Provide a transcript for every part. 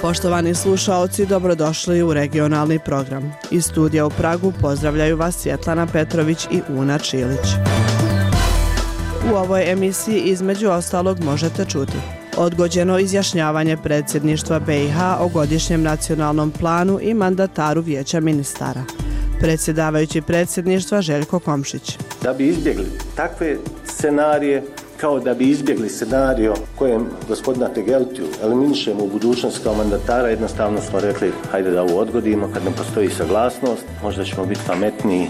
Poštovani slušaoci, dobrodošli u regionalni program. Iz studija u Pragu pozdravljaju vas Svjetlana Petrović i Una Čilić. U ovoj emisiji između ostalog možete čuti: odgođeno izjašnjavanje predsjedništva BiH o godišnjem nacionalnom planu i mandataru Vijeća ministara. Predsjedavajući predsjedništva Željko Komšić. Da bi izbjegli takve scenarije, kao da bi izbjegli scenario kojem gospodina Tegeltiju eliminišemo u budućnosti kao mandatara, jednostavno smo rekli hajde da ovo odgodimo, kad ne postoji saglasnost, možda ćemo biti pametniji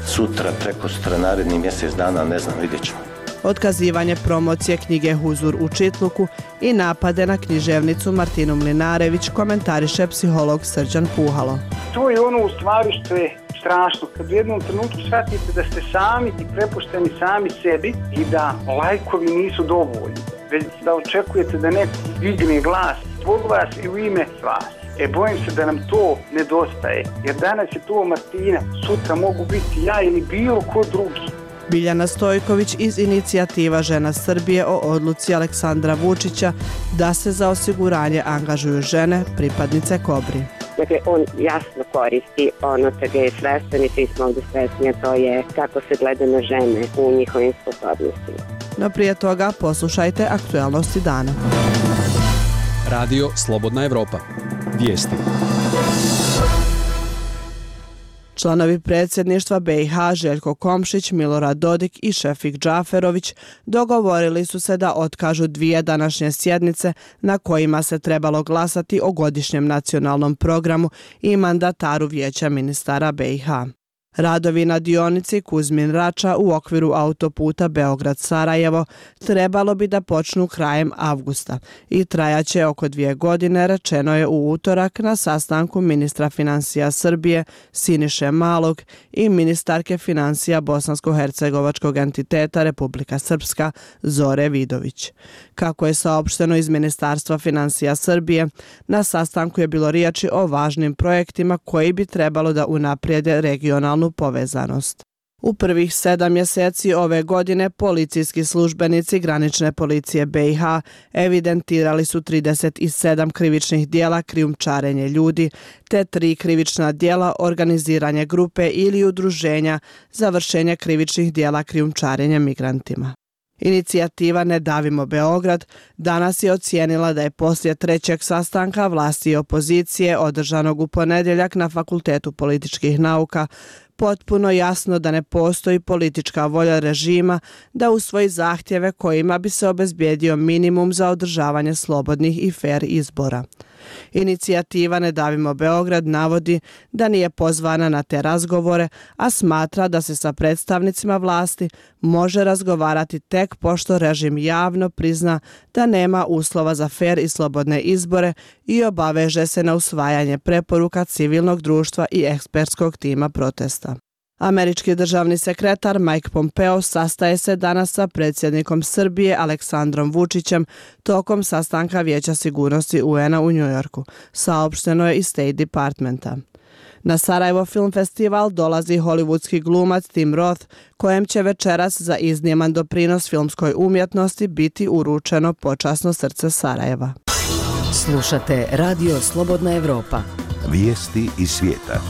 sutra, prekosutra, naredni mjesec dana, ne znam, vidjet ćemo. Otkazivanje promocije knjige Huzur u Čitluku i napade na književnicu Martinu Mlinarević komentariše psiholog Srđan Puhalo. To je ono u stvari što je strašno, kad u jednom trenutku shvatite da ste sami i prepušteni sami sebi i da lajkovi nisu dovoljni, već da očekujete da neko digne glas zbog vas i u ime vas. Bojim se da nam to nedostaje, jer danas je to Martina, sutra mogu biti ja ili bilo ko drugi. Biljana Stojković iz inicijativa Žena Srbije o odluci Aleksandra Vučića da se za osiguranje angažuju žene, pripadnice Kobri. Dakle, on jasno koristi ono čega je svestan i svi smo ovdje svesni, a to je kako se gleda na žene u njihovim sposobnostima. No prije toga poslušajte aktualnosti dana. Radio Slobodna Evropa. Vijesti. Članovi predsjedništva BiH Željko Komšić, Milorad Dodik i Šefik Džaferović dogovorili su se da otkažu dvije današnje sjednice na kojima se trebalo glasati o godišnjem nacionalnom programu i mandataru Vijeća ministara BiH. Radovi na dionici Kuzmin-Rača u okviru autoputa Beograd-Sarajevo trebalo bi da počnu krajem avgusta i trajaće oko 2 godine, rečeno je u utorak na sastanku ministra financija Srbije Siniše Malog i ministarke financija bosansko-hercegovačkog entiteta Republika Srpska Zore Vidović. Kako je saopšteno iz Ministarstva financija Srbije, na sastanku je bilo riječi o važnim projektima koji bi trebalo da unaprijede regionalnu povezanost. U prvih 7 mjeseci ove godine policijski službenici granične policije BiH evidentirali su 37 krivičnih djela krijumčarenje ljudi te 3 krivična djela organiziranje grupe ili udruženja za vršenje krivičnih djela krijumčarenja migrantima. Inicijativa Ne davimo Beograd danas je ocijenila da je poslije 3. sastanka vlasti i opozicije održanog u ponedjeljak na Fakultetu političkih nauka potpuno jasno da ne postoji politička volja režima da usvoji zahtjeve kojima bi se obezbijedio minimum za održavanje slobodnih i fer izbora. Inicijativa Ne davimo Beograd navodi da nije pozvana na te razgovore, a smatra da se sa predstavnicima vlasti može razgovarati tek pošto režim javno prizna da nema uslova za fer i slobodne izbore i obaveže se na usvajanje preporuka civilnog društva i ekspertskog tima protesta. Američki državni sekretar Mike Pompeo sastaje se danas sa predsjednikom Srbije Aleksandrom Vučićem tokom sastanka Vijeća sigurnosti UN-a u Njujorku, saopšteno je iz State Departmenta. Na Sarajevo Film Festival dolazi hollywoodski glumac Tim Roth, kojem će večeras za izniman doprinos filmskoj umjetnosti biti uručeno počasno srce Sarajeva. Slušate Radio Slobodna Evropa. Vijesti iz svijeta.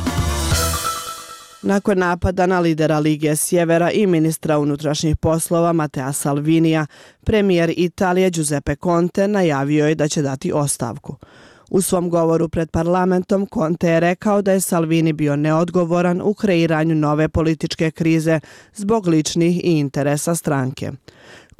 Nakon napada na lidera Lige Sjevera i ministra unutrašnjih poslova Mattea Salvinija, premijer Italije Giuseppe Conte najavio je da će dati ostavku. U svom govoru pred parlamentom Conte je rekao da je Salvini bio neodgovoran u kreiranju nove političke krize zbog ličnih i interesa stranke.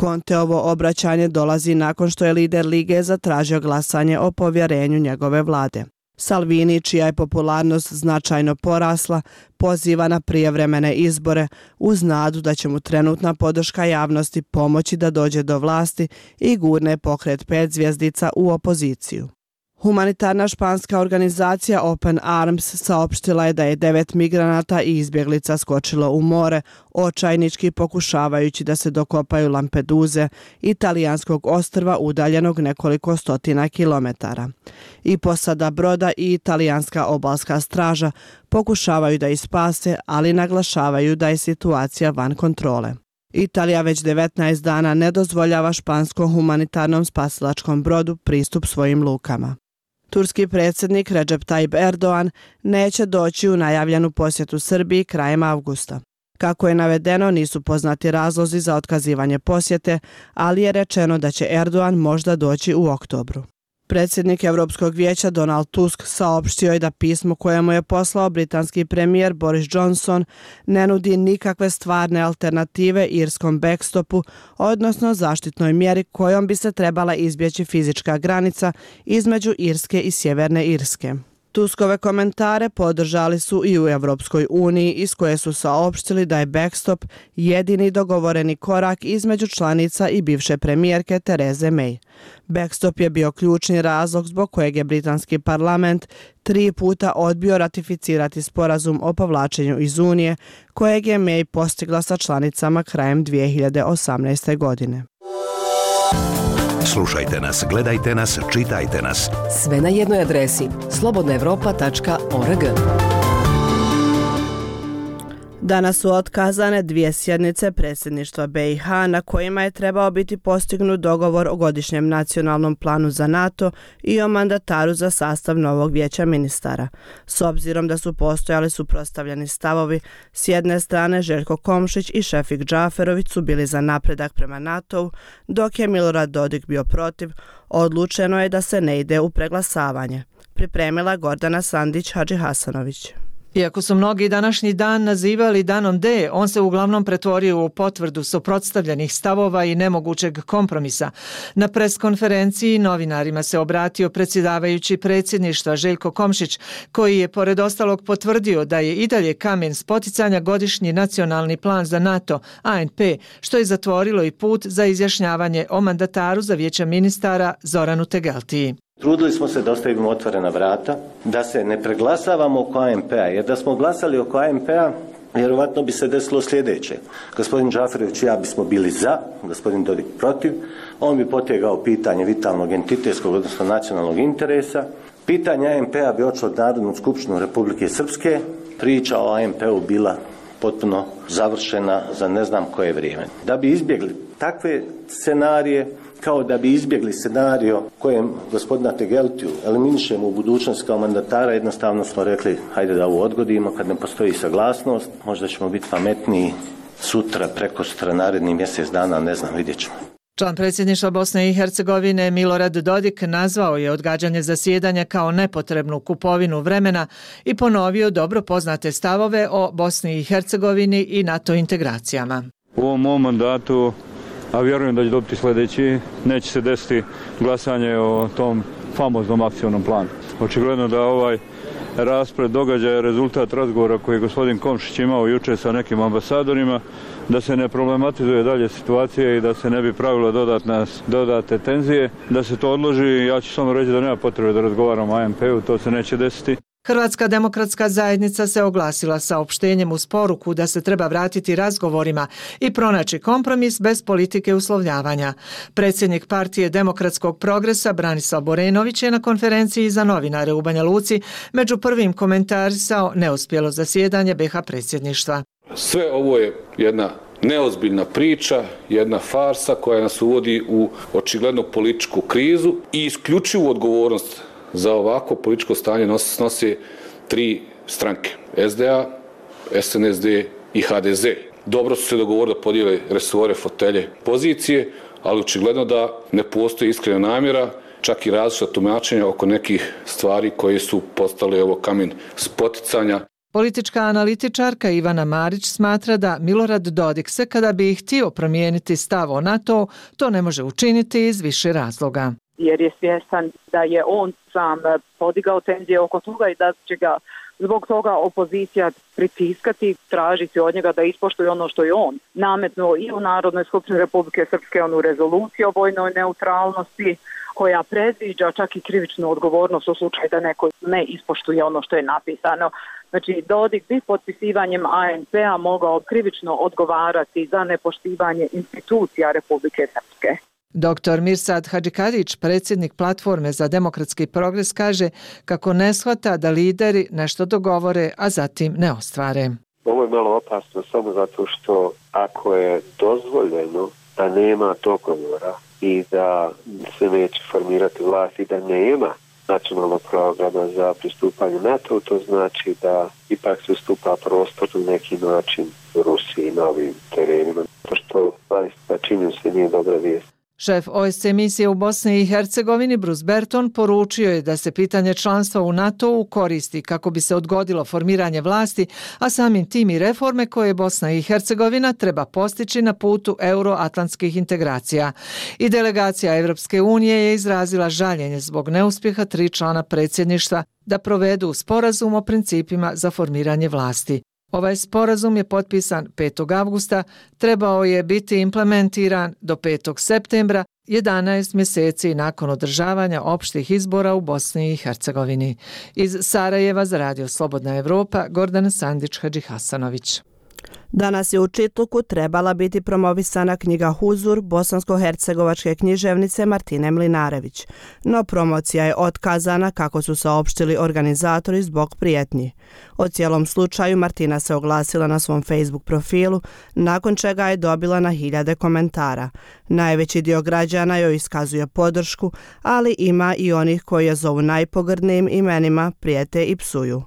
Conteovo obraćanje dolazi nakon što je lider Lige zatražio glasanje o povjerenju njegove vlade. Salvini, čija je popularnost značajno porasla, poziva na prijevremene izbore uz nadu da će mu trenutna podrška javnosti pomoći da dođe do vlasti i gurne pokret 5 zvjezdica u opoziciju. Humanitarna španska organizacija Open Arms saopštila je da je 9 migranata i izbjeglica skočilo u more, očajnički pokušavajući da se dokopaju Lampeduze, italijanskog ostrva udaljenog nekoliko stotina kilometara. I posada broda i italijanska obalska straža pokušavaju da ih spase, ali naglašavaju da je situacija van kontrole. Italija već 19 dana ne dozvoljava španskom humanitarnom spasilačkom brodu pristup svojim lukama. Turski predsjednik Recep Tayyip Erdogan neće doći u najavljenu posjetu Srbiji krajem avgusta. Kako je navedeno, nisu poznati razlozi za otkazivanje posjete, ali je rečeno da će Erdogan možda doći u oktobru. Predsjednik Europskog vijeća Donald Tusk saopštio je da pismo koje mu je poslao britanski premijer Boris Johnson ne nudi nikakve stvarne alternative irskom backstopu, odnosno zaštitnoj mjeri kojom bi se trebala izbjeći fizička granica između Irske i Sjeverne Irske. Tuskove komentare podržali su i u Europskoj uniji, iz koje su saopštili da je backstop jedini dogovoreni korak između članica i bivše premijerke Therese May. Backstop je bio ključni razlog zbog kojeg je britanski parlament 3 puta odbio ratificirati sporazum o povlačenju iz Unije, kojeg je May postigla sa članicama krajem 2018. godine. Slušajte nas, gledajte nas, čitajte nas. Sve na jednoj adresi slobodnaevropa.org. Danas su otkazane 2 sjednice predsjedništva BiH na kojima je trebao biti postignut dogovor o godišnjem nacionalnom planu za NATO i o mandataru za sastav novog vijeća ministara. S obzirom da su postojali suprotstavljeni stavovi, s jedne strane Željko Komšić i Šefik Džaferović su bili za napredak prema NATO-u, dok je Milorad Dodik bio protiv, odlučeno je da se ne ide u preglasavanje. Pripremila Gordana Sandić-Hadžihasanović. Iako su mnogi današnji dan nazivali danom D, on se uglavnom pretvorio u potvrdu suprotstavljenih stavova i nemogućeg kompromisa. Na preskonferenciji novinarima se obratio predsjedavajući predsjedništva Željko Komšić, koji je pored ostalog potvrdio da je i dalje kamen spoticanja godišnji nacionalni plan za NATO, ANP, što je zatvorilo i put za izjašnjavanje o mandataru za vijeća ministara Zoranu Tegeltiji. Trudili smo se da ostavimo otvorena vrata, da se ne preglasavamo oko ANP-a, jer da smo glasali oko ANP-a, vjerovatno bi se desilo sljedeće. Gospodin Džaferović i ja bismo bili za, gospodin Dodik protiv, on bi potegao pitanje vitalnog entitetskog, odnosno nacionalnog interesa, pitanje ANP-a bi odšlo od Narodnu skupštinu Republike Srpske, priča o ANP-u bila potpuno završena za ne znam koje vrijeme. Da bi izbjegli takve scenarije, kao da bi izbjegli scenario kojem gospodina Tegeltiju eliminišemo u budućnosti kao mandatara, jednostavno smo rekli hajde da ovo odgodimo, kad ne postoji saglasnost, možda ćemo biti pametniji sutra, prekosutra, naredni mjesec dana, ne znam, vidjet ćemo. Član predsjedništva Bosne i Hercegovine Milorad Dodik nazvao je odgađanje zasjedanja kao nepotrebnu kupovinu vremena i ponovio dobro poznate stavove o Bosni i Hercegovini i NATO integracijama. U ovom mom mandatu, a vjerujem da će dobiti sljedeći, neće se desiti glasanje o tom famoznom akcijnom planu. Očigledno da ovaj raspred događaja je rezultat razgovora koji je gospodin Komšić imao jučer sa nekim ambasadorima, da se ne problematizuje dalje situacija i da se ne bi pravilo dodate tenzije, da se to odloži. Ja ću samo reći da nema potrebe da razgovaramo o ANP-u, to se neće desiti. Hrvatska demokratska zajednica se oglasila saopštenjem uz poruku da se treba vratiti razgovorima i pronaći kompromis bez politike uslovljavanja. Predsjednik partije Demokratskog progresa Branislav Borenović je na konferenciji za novinare u Banja Luci među prvim komentarisao neuspjelo zasjedanje BiH predsjedništva. Sve ovo je jedna neozbiljna priča, jedna farsa koja nas uvodi u očigledno političku krizu i isključivu odgovornost za ovako političko stanje snose 3 stranke, SDA, SNSD i HDZ. Dobro su se dogovorili da podijele resore, fotelje, pozicije, ali očigledno da ne postoji iskrena namjera, čak i različita tumačenja oko nekih stvari koje su postale kamen spoticanja. Politička analitičarka Ivana Marić smatra da Milorad Dodik se kada bi htio promijeniti stav o NATO, to ne može učiniti iz više razloga. Jer je svjestan da je on sam podigao tenzije oko toga i da će ga zbog toga opozicija pritiskati, tražiti od njega da ispoštuje ono što je on nametnuo i u Narodnoj skupštini Republike Srpske, onu rezoluciju o vojnoj neutralnosti koja predviđa čak i krivičnu odgovornost u slučaju da neko ne ispoštuje ono što je napisano. Znači, Dodik bi potpisivanjem ANP-a mogao krivično odgovarati za nepoštivanje institucija Republike Srpske. Dr. Mirsad Hadžikadić, predsjednik Platforme za demokratski progres, kaže kako ne shvata da lideri nešto dogovore, a zatim ne ostvare. Ovo je malo opasno samo zato što ako je dozvoljeno da nema dogovora i da se neće formirati vlast i da nema nacionalnog programa za pristupanje NATO, to znači da ipak se ustupa prostor na neki način Rusiji na ovim terenima, to što zaista čini se nije dobra vijest. Šef OSCE misije u Bosni i Hercegovini Bruce Berton poručio je da se pitanje članstva u NATO-u koristi kako bi se odgodilo formiranje vlasti, a samim tim i reforme koje Bosna i Hercegovina treba postići na putu euroatlantskih integracija. I delegacija Evropske unije je izrazila žaljenje zbog neuspjeha 3 člana predsjedništva da provedu sporazum o principima za formiranje vlasti. Ovaj sporazum je potpisan 5. avgusta, trebao je biti implementiran do 5. septembra, 11 mjeseci nakon održavanja opštih izbora u Bosni i Hercegovini. Iz Sarajeva za Radio Slobodna Evropa, Gordana Sandić-Hadžihasanović. Danas je u Čitluku trebala biti promovisana knjiga Huzur bosansko-hercegovačke književnice Martine Mlinarević, no promocija je otkazana kako su saopštili organizatori zbog prijetnji. O cijelom slučaju Martina se oglasila na svom Facebook profilu, nakon čega je dobila na hiljade komentara. Najveći dio građana joj iskazuje podršku, ali ima i onih koji je zovu najpogrdnijim imenima, prijete i psuju.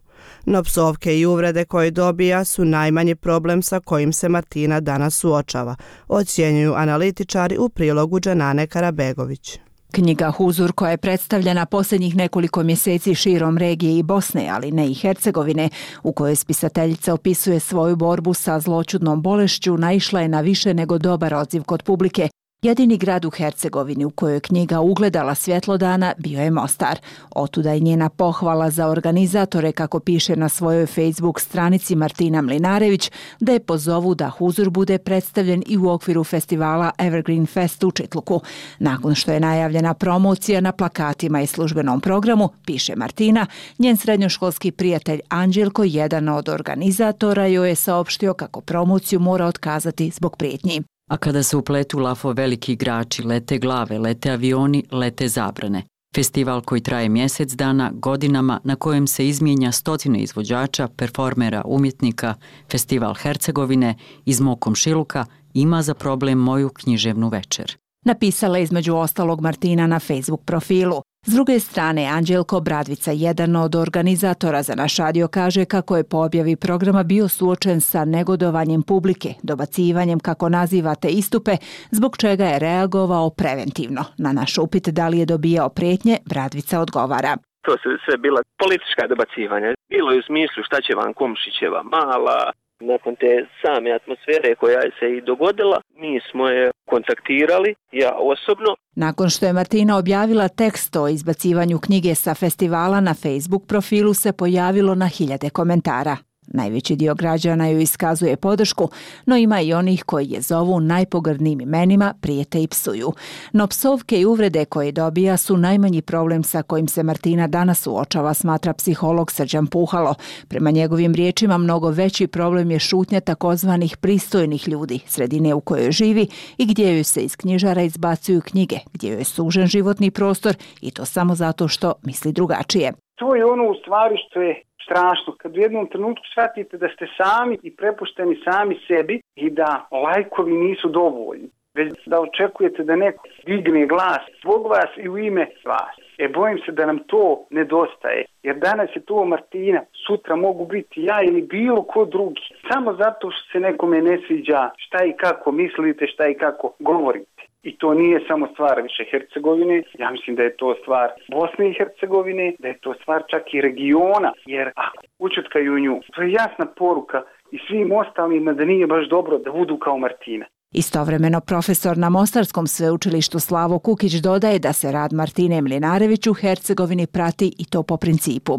No psovke i uvrede koje dobija su najmanji problem sa kojim se Martina danas suočava, ocjenjuju analitičari u prilogu Dženane Karabegović. Knjiga Huzur, koja je predstavljena posljednjih nekoliko mjeseci širom regije i Bosne, ali ne i Hercegovine, u kojoj spisateljica opisuje svoju borbu sa zloćudnom bolešću, naišla je na više nego dobar odziv kod publike. Jedini grad u Hercegovini u kojoj je knjiga ugledala svjetlo dana bio je Mostar. Otuda je njena pohvala za organizatore, kako piše na svojoj Facebook stranici Martina Mlinarević, da je pozovu da Huzur bude predstavljen i u okviru festivala Evergreen Fest u Čitluku. Nakon što je najavljena promocija na plakatima i službenom programu, piše Martina, njen srednjoškolski prijatelj Anđelko, jedan od organizatora, joj je saopštio kako promociju mora otkazati zbog prijetnji. A kada se upletu lafo veliki igrači, lete glave, lete avioni, lete zabrane. Festival koji traje mjesec dana, godinama, na kojem se izmijenja stotine izvođača, performera, umjetnika, Festival Hercegovine iz mog komšiluka ima za problem moju književnu večer. Napisala je između ostalog Martina na Facebook profilu. S druge strane, Anđelko Bradvica, jedan od organizatora za naš radio, kaže kako je po objavi programa bio suočen sa negodovanjem publike, dobacivanjem kako nazivate istupe, zbog čega je reagovao preventivno. Na naš upit da li je dobijao prijetnje, Bradvica odgovara. To su sve bila politička dobacivanja. Bilo je u smislu šta će vam Komšićeva mala. Nakon te same atmosfere koja je se i dogodila, mi smo je kontaktirali, ja osobno. Nakon što je Martina objavila tekst o izbacivanju knjige sa festivala, na Facebook profilu se pojavilo na hiljade komentara. Najveći dio građana joj iskazuje podršku, no ima i onih koji je zovu najpogrdnijim imenima, prijete i psuju. No psovke i uvrede koje dobija su najmanji problem sa kojim se Martina danas suočava, smatra psiholog Srđan Puhalo. Prema njegovim riječima, mnogo veći problem je šutnja takozvanih pristojnih ljudi, sredine u kojoj živi i gdje joj se iz knjižara izbacuju knjige, gdje joj je sužen životni prostor i to samo zato što misli drugačije. To je ono u stvari što je strašno, kad u jednom trenutku shvatite da ste sami i prepušteni sami sebi i da lajkovi nisu dovoljni, već da očekujete da neko digne glas zbog vas i u ime vas. Bojim se da nam to nedostaje, jer danas je to Martina, sutra mogu biti ja ili bilo ko drugi, samo zato što se nekome ne sviđa šta i kako mislite, šta i kako govorite. I to nije samo stvar više Hercegovine, ja mislim da je to stvar Bosne i Hercegovine, da je to stvar čak i regiona, jer ako učutkaju nju, to je jasna poruka i svim ostalima da nije baš dobro da budu kao Martina. Istovremeno profesor na Mostarskom sveučilištu Slavo Kukić dodaje da se rad Martine Mlinarević u Hercegovini prati i to po principu.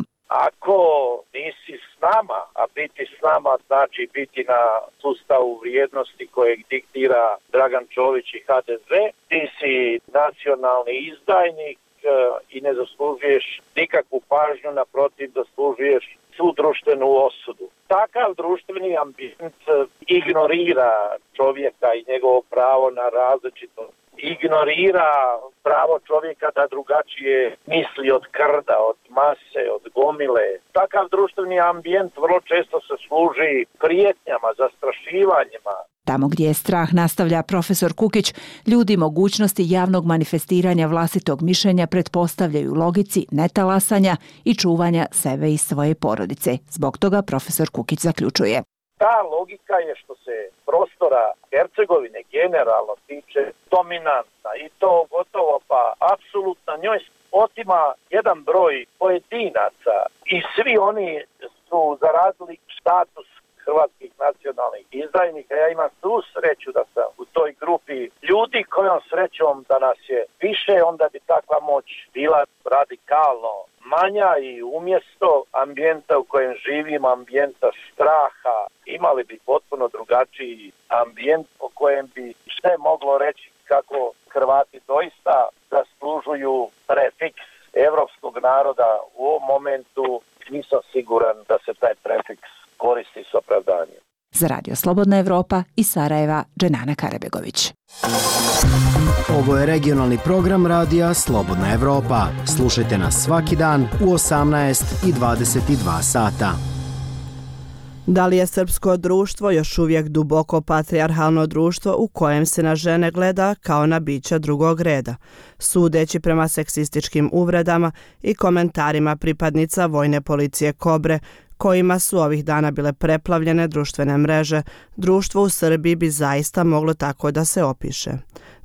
Ako nisi s nama, a biti s nama znači biti na sustavu vrijednosti kojeg diktira Dragan Čović i HDZ, ti si nacionalni izdajnik i ne zaslužuješ nikakvu pažnju, naprotiv zaslužuješ svu društvenu osudu. Takav društveni ambijent ignorira čovjeka i njegovo pravo na različitost. Ignorira pravo čovjeka da drugačije misli od krda, od mase, od gomile. Takav društveni ambijent vrlo često se služi prijetnjama, zastrašivanjima. Tamo gdje je strah, nastavlja profesor Kukić, ljudi mogućnosti javnog manifestiranja vlastitog mišljenja pretpostavljaju logici netalasanja i čuvanja sebe i svoje porodice. Zbog toga profesor Kukić zaključuje. Ta logika je što se prostora Hercegovine generalno tiče dominantna i to gotovo pa apsolutno njoj otima jedan broj pojedinaca i svi oni su zaradili status hrvatskih nacionalnih izdajnika. Ja imam tu sreću da sam u toj grupi ljudi kojom srećom da nas je više, onda bi takva moć bila radikalno manja i umjesto ambijenta u kojem živimo, ambijenta straha, imali bi potpuno drugačiji ambijent o kojem bi sve moglo reći kako Hrvati doista zaslužuju prefiks evropskog naroda. U ovom momentu nisam siguran da se taj prefiks koristi s opravdanjem. Za Radio Slobodna Evropa iz Sarajeva, Dženana Karabegović. Ovo je regionalni program radija Slobodna Evropa. Slušajte nas svaki dan u 18 i 22 sata. Da li je srpsko društvo još uvijek duboko patrijarhalno društvo u kojem se na žene gleda kao na bića drugog reda? Sudeći prema seksističkim uvredama i komentarima pripadnica vojne policije Kobre, kojima su ovih dana bile preplavljene društvene mreže, društvo u Srbiji bi zaista moglo tako da se opiše.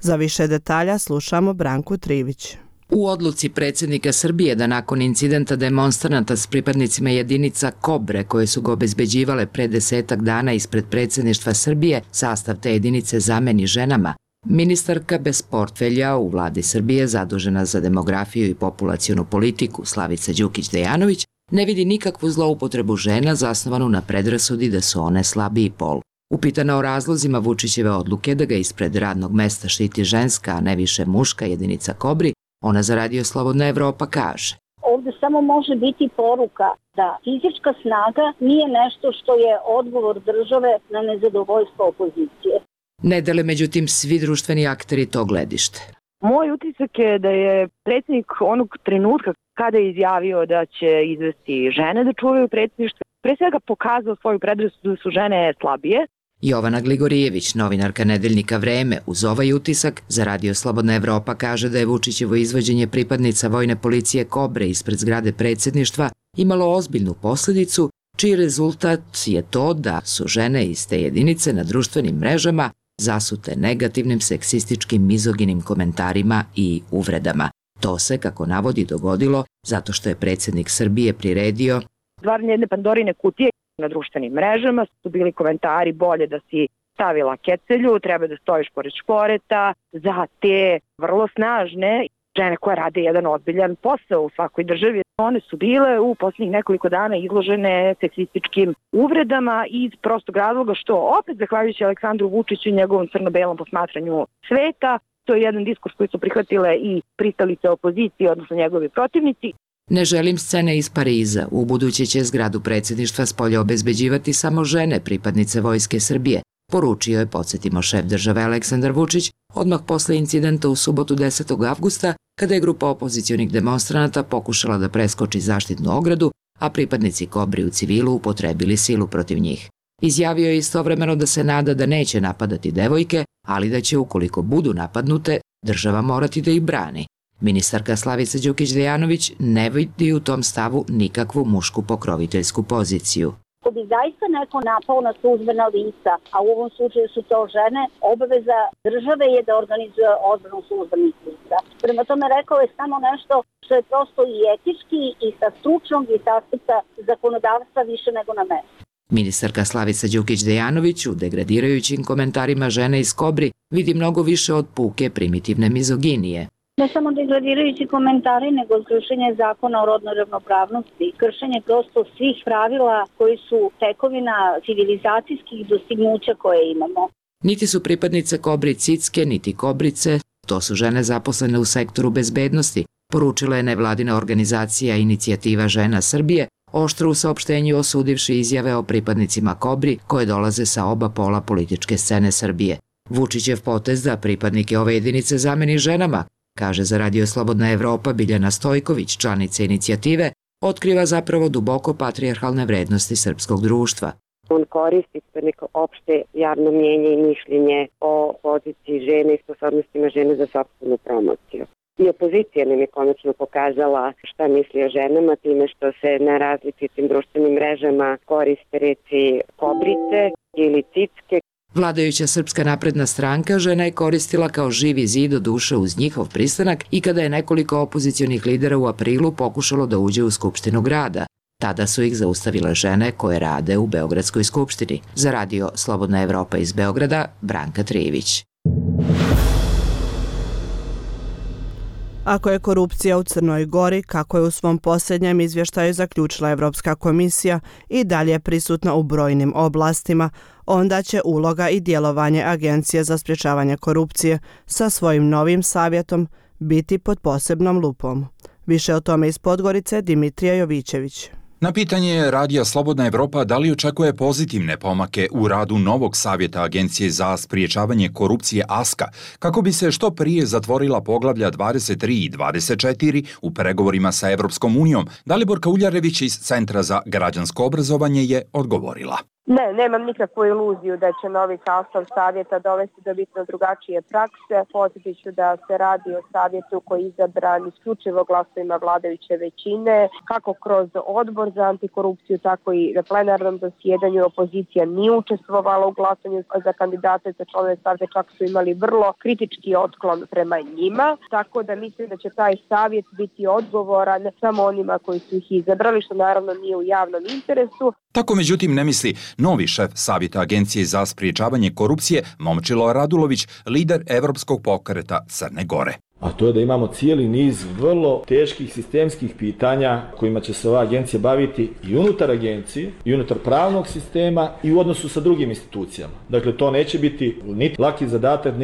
Za više detalja slušamo Branku Trivić. U odluci predsjednika Srbije da nakon incidenta demonstranata s pripadnicima jedinica Kobre koje su ga obezbeđivale pre 10 dana ispred predsjedništva Srbije, sastav te jedinice zameni ženama, ministarka bez portfelja u vladi Srbije zadužena za demografiju i populacionu politiku Slavica Đukić-Dejanović ne vidi nikakvu zloupotrebu žena zasnovanu na predrasudi da su one slabiji pol. Upitana o razlozima Vučićeve odluke da ga ispred radnog mesta štiti ženska, a ne više muška jedinica Kobri, ona za Radio Slobodna Evropa kaže. Ovdje samo može biti poruka da fizička snaga nije nešto što je odgovor države na nezadovoljstvo opozicije. Ne dele međutim svi društveni akteri to gledište. Moj utisak je da je predsjednik onog trenutka kada je izjavio da će izvesti žene da čuvaju predsjedništvo, pre svega pokazao svoju predrasudu da su žene slabije. Jovana Gligorijević, novinarka nedeljnika Vreme, uz ovaj utisak za Radio Slobodna Evropa kaže da je Vučićevo izvođenje pripadnica vojne policije Kobre ispred zgrade predsjedništva imalo ozbiljnu posljedicu, čiji rezultat je to da su žene iz te jedinice na društvenim mrežama zasute negativnim seksističkim mizoginim komentarima i uvredama. To se, kako navodi, dogodilo zato što je predsjednik Srbije priredio stvaranje jedne Pandorine kutije. Na društvenim mrežama su bili komentari bolje da si stavila kecelju, treba da stojiš pored šporeta, za te vrlo snažne žene koje rade jedan ozbiljan posao u svakoj državi. One su bile u posljednjih nekoliko dana izložene seksističkim uvredama iz prostog razloga što opet zahvaljujući Aleksandru Vučiću i njegovom crno-belom posmatranju sveta, to je jedan diskurs koji su prihvatile i pristalice opozicije, odnosno njegovi protivnici. Ne želim scene iz Pariza. U buduće će zgradu predsjedništva spolja obezbeđivati samo žene pripadnice Vojske Srbije, poručio je, podsjetimo, šef države Aleksandar Vučić odmah posle incidenta u subotu 10. avgusta, kada je grupa opozicionih demonstranata pokušala da preskoči zaštitnu ogradu, a pripadnici Kobri u civilu upotrebili silu protiv njih. Izjavio je istovremeno da se nada da neće napadati devojke, ali da će, ukoliko budu napadnute, država morati da ih brani. Ministarka Slavica Đukić-Dejanović ne vidi u tom stavu nikakvu mušku pokroviteljsku poziciju. Ako bi zaista neko napao na službena lica, a u ovom slučaju su to žene, obaveza države je da organizuje odbranu službenih lica. Prema tome rekao je samo nešto što je prosto i etički i sa stručnog i sa aspekta zakonodavstva više nego na mestu. Ministarka Slavica Đukić-Dejanović u degradirajućim komentarima žene iz Kobri vidi mnogo više od puke primitivne mizoginije. Ne samo degradirajući komentari, nego kršenje zakona o rodnoj ravnopravnosti, kršenje prosto svih pravila koji su tekovina civilizacijskih dostignuća koje imamo. Niti su pripadnice Kobri cicke, niti Kobrice, to su žene zaposlene u sektoru bezbednosti, poručila je nevladina organizacija Inicijativa žena Srbije, oštro u saopštenju osudivši izjave o pripadnicima Kobri koje dolaze sa oba pola političke scene Srbije. Vučićev potez da pripadnike ove jedinice zameni ženama, kaže za Radio Slobodna Evropa Biljana Stojković, članica inicijative, otkriva zapravo duboko patrijarhalne vrednosti srpskog društva. On koristi neko opšte javno mnjenje i mišljenje o poziciji žene i sposobnostima žene za sopstvenu promociju. I opozicija nam je konačno pokazala šta misli o ženama time što se na različitim društvenim mrežama koriste reči kobrice ili cicke. Vladajuća Srpska napredna stranka žena je koristila kao živi zid do duše uz njihov pristanak i kada je nekoliko opozicionih lidera u aprilu pokušalo da uđe u Skupštinu grada. Tada su ih zaustavile žene koje rade u Beogradskoj skupštini. Za radio Slobodna Evropa iz Beograda, Branka Trijević. Ako je korupcija u Crnoj Gori, kako je u svom posljednjem izvještaju zaključila Evropska komisija, i dalje prisutna u brojnim oblastima, onda će uloga i djelovanje Agencije za sprječavanje korupcije sa svojim novim savjetom biti pod posebnom lupom. Više o tome iz Podgorice Dimitrija Jovićević. Na pitanje Radija Slobodna Evropa da li očekuje pozitivne pomake u radu novog savjeta Agencije za spriječavanje korupcije ASKA, kako bi se što prije zatvorila poglavlja 23 i 24 u pregovorima sa Evropskom unijom, Daliborka Uljarević iz Centra za građansko obrazovanje je odgovorila. Ne, nemam nikakvu iluziju da će novi sastav savjeta dovesti do bitno drugačije prakse. Podsjetit ću da se radi o savjetu koji je izabran isključivo glasovima vladajuće većine, kako kroz odbor za antikorupciju, tako i na plenarnom zasjedanju. Opozicija nije učestvovala u glasanju za kandidate za članove savjeta, čak su imali vrlo kritički otklon prema njima, tako da mislim da će taj savjet biti odgovoran samo onima koji su ih izabrali, što naravno nije u javnom interesu. Tako međutim ne misli novi šef savjeta Agencije za spriječavanje korupcije Momčilo Radulović, lider Evropskog pokreta Crne Gore. A to je da imamo cijeli niz vrlo teških sistemskih pitanja kojima će se ova agencija baviti i unutar agencije, i unutar pravnog sistema i u odnosu sa drugim institucijama. Dakle, to neće biti niti laki zadatak,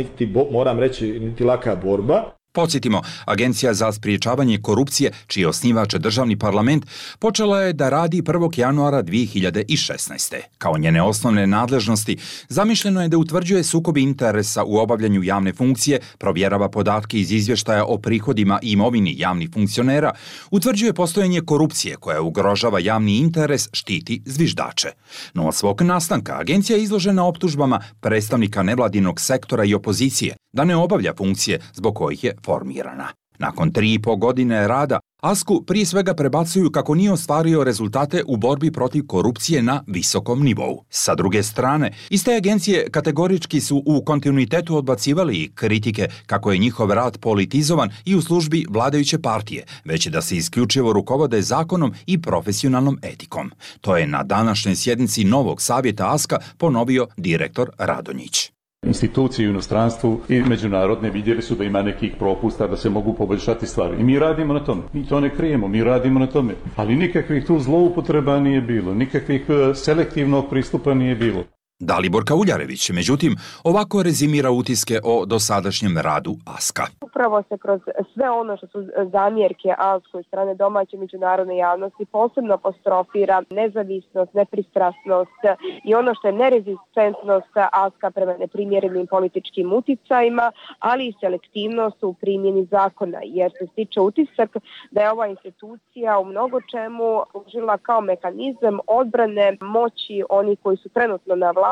moram reći, niti laka borba. Podsjetimo, Agencija za spriječavanje korupcije, čiji je osnivač državni parlament, počela je da radi 1. januara 2016. Kao njene osnovne nadležnosti, zamišljeno je da utvrđuje sukob interesa u obavljanju javne funkcije, provjerava podatke iz izvještaja o prihodima i imovini javnih funkcionera, utvrđuje postojanje korupcije koja ugrožava javni interes, štiti zviždače. No od svog nastanka agencija je izložena optužbama predstavnika nevladinog sektora i opozicije da ne obavlja funkcije zbog kojih je formirana. Nakon 3,5 godine rada, ASKU prije svega prebacuju kako nije ostvario rezultate u borbi protiv korupcije na visokom nivou. Sa druge strane, iste agencije kategorički su u kontinuitetu odbacivali i kritike kako je njihov rad politizovan i u službi vladajuće partije, već da se isključivo rukovode zakonom i profesionalnom etikom. To je na današnjoj sjednici novog savjeta ASKA ponovio direktor Radonjić. Institucije u inostranstvu i međunarodne vidjeli su da ima nekih propusta, da se mogu poboljšati stvari. I mi radimo na tome. Mi to ne krijemo, mi radimo na tome. Ali nikakvih tu zloupotreba nije bilo, nikakvih selektivnog pristupa nije bilo. Daliborka Uljarević, međutim, ovako rezimira utiske o dosadašnjem radu ASKA. Upravo se kroz sve ono što su zamjerke ASKA od strane domaće međunarodne javnosti posebno apostrofira nezavisnost, nepristrasnost i ono što je nerezistentnost ASKA prema neprimjerenim političkim uticajima, ali i selektivnost u primjeni zakona, jer se stiče utisak da je ova institucija u mnogo čemu služila kao mehanizam odbrane moći onih koji su trenutno na vlasti,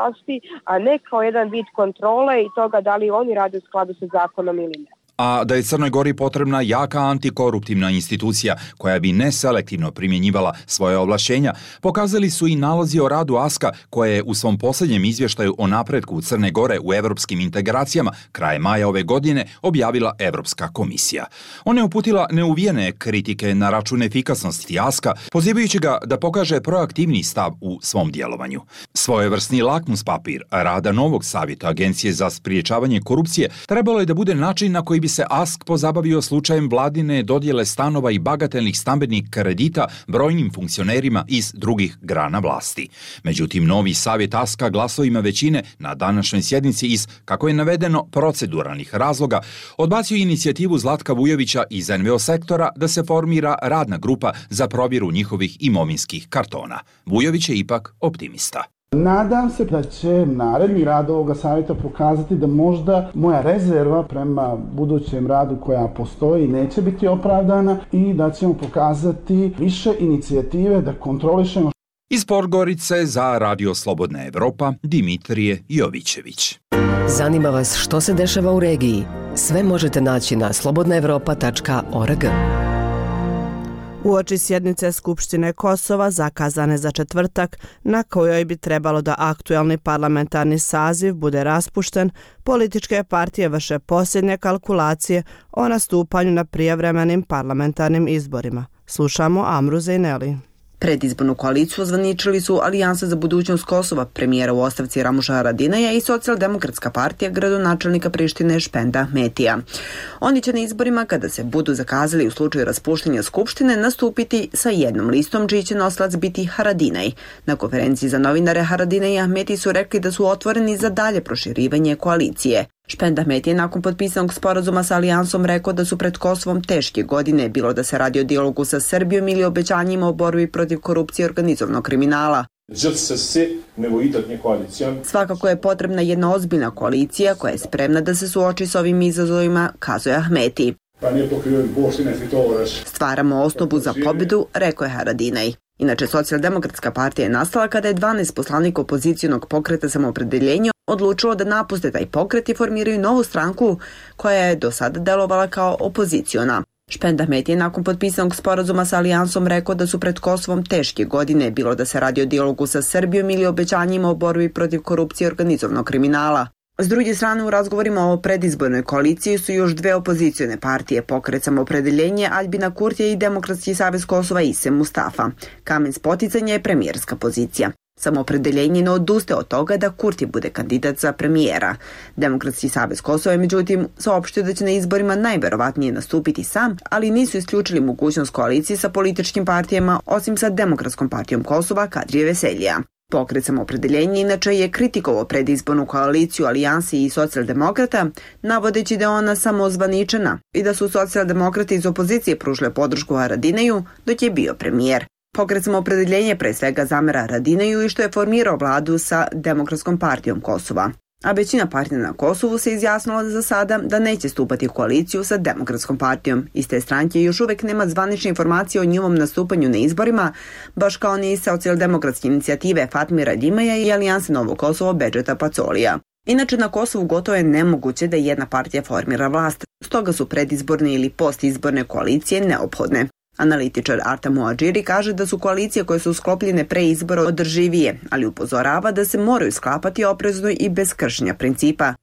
a ne kao jedan vid kontrole i toga da li oni rade u skladu sa zakonom ili ne. A da je Crnoj Gori potrebna jaka antikoruptivna institucija koja bi neselektivno primjenjivala svoje ovlašćenja, pokazali su i nalazi o radu ASKA koje je u svom posljednjem izvještaju o napretku Crne Gore u evropskim integracijama krajem maja ove godine objavila Evropska komisija. Ona je uputila neuvijene kritike na račun efikasnosti ASKA, pozivajući ga da pokaže proaktivni stav u svom djelovanju. Svojevrsni lakmus papir rada novog savjeta Agencije za spriječavanje korupcije trebalo je da bude način na koji bi se ASK pozabavio slučajem vladine dodjele stanova i bagatelnih stambenih kredita brojnim funkcionerima iz drugih grana vlasti. Međutim, novi savjet ASK-a glasovima većine na današnjoj sjednici iz, kako je navedeno, proceduralnih razloga, odbacio inicijativu Zlatka Vujovića iz NVO sektora da se formira radna grupa za provjeru njihovih imovinskih kartona. Vujović je ipak optimista. Nadam se da će naredni rad ovoga savjeta pokazati da možda moja rezerva prema budućem radu koja postoji neće biti opravdana i da ćemo pokazati više inicijative da kontrolišemo Iz Podgorice za Radio Slobodna Evropa Dimitrije Jovićević. Zanima vas što se dešava u regiji? Sve možete naći na slobodnaevropa.org. Uoči sjednice Skupštine Kosova zakazane za četvrtak, na kojoj bi trebalo da aktuelni parlamentarni saziv bude raspušten, političke partije vrše posljednje kalkulacije o nastupanju na prijevremenim parlamentarnim izborima. Slušamo Amru Zejneli. Predizbornu koaliciju ozvaničili su Alijansa za budućnost Kosova, premijera u ostavci Ramuša Haradinaja i Socijaldemokratska partija gradonačelnika Prištine Špenda Ahmetija. Oni će na izborima, kada se budu zakazali u slučaju raspuštanja Skupštine, nastupiti sa jednom listom čiji će nosilac biti Haradinaj. Na konferenciji za novinare Haradinaj i Ahmeti su rekli da su otvoreni za dalje proširivanje koalicije. Špend Ahmeti je nakon potpisanog sporazuma sa Alijansom rekao da su pred Kosovom teške godine, bilo da se radi o dijalogu sa Srbijom ili obećanjima o borbi protiv korupcije i organizovanog kriminala. Svakako je potrebna jedna ozbiljna koalicija koja je spremna da se suoči s ovim izazovima, kazuje Ahmeti. Stvaramo osnovu za pobjedu, rekao je Haradinaj. Inače, Socijaldemokratska partija je nastala kada je 12 poslanika opozicionog pokreta Samoopredeljenje odlučilo da napuste taj pokret i formiraju novu stranku koja je do sada delovala kao opoziciona. Špend Ahmeti je nakon potpisanog sporazuma sa Alijansom rekao da su pred Kosovom teške godine, bilo da se radi o dijalogu sa Srbijom ili obećanjima o borbi protiv korupcije i organizovanog kriminala. S druge strane, u razgovorima o predizbornoj koaliciji su još dve opozicione partije, pokret Samoopredeljenje, Aljbina Kurtija i Demokratski savez Kosova Ise Mustafa. Kamen spoticanja je premijerska pozicija. Samoopredeljenje ne odustaje od toga da Kurti bude kandidat za premijera. Demokratski savez Kosova je međutim saopštio da će na izborima najverovatnije nastupiti sam, ali nisu isključili mogućnost koalicije sa političkim partijama, osim sa Demokratskom partijom Kosova Kadrije Veseljija. Pokret Samoopredeljenje inače je kritikovao predizbornu koaliciju Alijansi i socijaldemokrata, navodeći da je ona samo ozvaničena i da su socijaldemokrati iz opozicije pružile podršku Haradinaju dok je bio premijer. Pokret Samoopredeljenje pre svega zamera Haradinaju i što je formirao vladu sa Demokratskom partijom Kosova. A većina partija na Kosovu se izjasnila za sada da neće stupati u koaliciju sa Demokratskom partijom. Iz te stranke još uvek nema zvanične informacije o njihovom nastupanju na izborima, baš kao ni socijaldemokratske inicijative Fatmira Ljimaja i Alijanse Novo Kosovo Bedžeta Pacolija. Inače, na Kosovu gotovo je nemoguće da jedna partija formira vlast, stoga su predizborne ili postizborne koalicije neophodne. Analitičar Arta Muadžiri kaže da su koalicije koje su sklopljene pre izbora održivije, ali upozorava da se moraju sklapati oprezno i bez kršenja principa.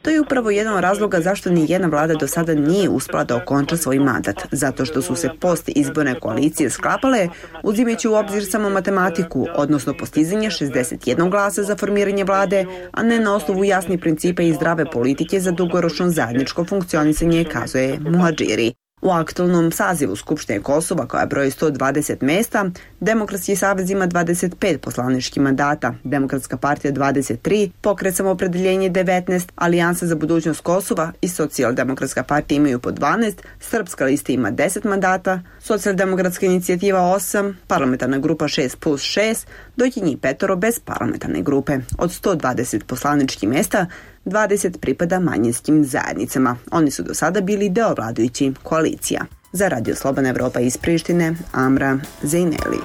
To je upravo jedan od razloga zašto ni jedna vlada do sada nije uspela da okonča svoj mandat, zato što su se post-izborne koalicije sklapale uzimajući u obzir samo matematiku, odnosno postizanje 61 glasa za formiranje vlade, a ne na osnovu jasnih principa i zdrave politike za dugoročno zajedničko funkcionisanje, kazuje Muadžiri. U aktualnom sazivu Skupštine Kosova, koja broji 120 mesta, Demokratski savez ima 25 poslaničkih mandata, Demokratska partija 23, pokret Samoopredeljenje 19, Alijansa za budućnost Kosova i Socijaldemokratska partija imaju po 12, Srpska lista ima 10 mandata, Socijaldemokratska inicijativa 8, parlamentarna grupa 6+6, dok je njih 5 bez parlamentarne grupe. Od 120 poslaničkih mesta, 20 pripada manjinskim zajednicama. Oni su do sada bili deo vladajućih koalicija. Za Radio Slobodna Evropa iz Prištine, Amra Zejneli.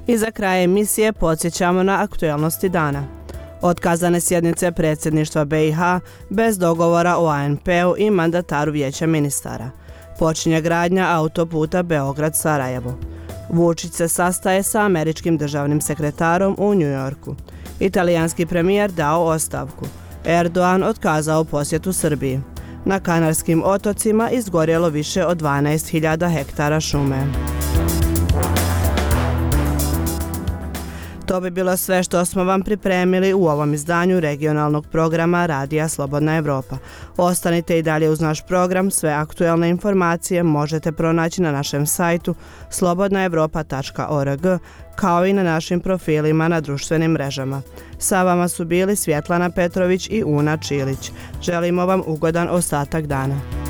I za kraj emisije podsjećamo na aktuelnosti dana. Otkazane sjednice predsjedništva BiH bez dogovora o ANP-u i mandataru vijeća ministara. Počinje gradnja autoputa Beograd-Sarajevo. Vučić se sastaje sa američkim državnim sekretarom u Njujorku. Italijanski premijer dao ostavku. Erdogan otkazao posjetu Srbiji. Na Kanarskim otocima izgorjelo više od 12.000 hektara šume. To bi bilo sve što smo vam pripremili u ovom izdanju regionalnog programa Radija Slobodna Evropa. Ostanite i dalje uz naš program, sve aktuelne informacije možete pronaći na našem sajtu slobodnaevropa.org, kao i na našim profilima na društvenim mrežama. Sa vama su bili Svjetlana Petrović i Una Čilić. Želimo vam ugodan ostatak dana.